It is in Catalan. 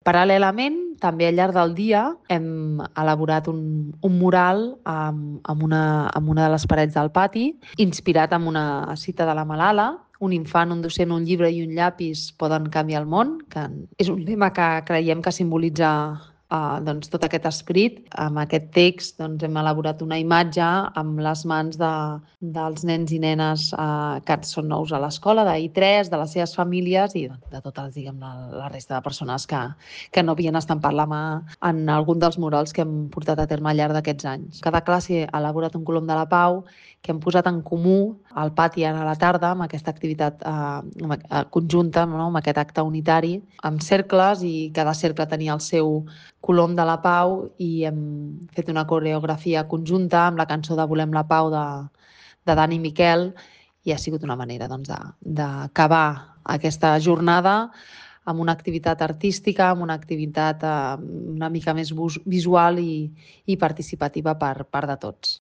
Paral·lelament, també al llarg del dia hem elaborat un mural amb una de les parets del pati, inspirat en una cita de la Malala: un infant, un docent, un llibre i un llapis poden canviar el món, que és un lema que creiem que simbolitza tot aquest esperit. Amb aquest text hem elaborat una imatge amb les mans dels nens i nenes que són nous a l'escola, d'I3, de les seves famílies i de totes, la resta de persones que no havien estampat la mà en algun dels murals que hem portat a terme al llarg d'aquests anys. Cada classe ha elaborat un colom de la pau que hem posat en comú al pati ara a la tarda amb aquesta activitat conjunta, no? Amb aquest acte unitari, amb cercles, i cada cercle tenia el seu colom de la pau i hem fet una coreografia conjunta amb la cançó de Volem la pau de Dani i Miquel, i ha sigut una manera d'acabar aquesta jornada amb una activitat artística, amb una activitat una mica més visual i participativa per part de tots.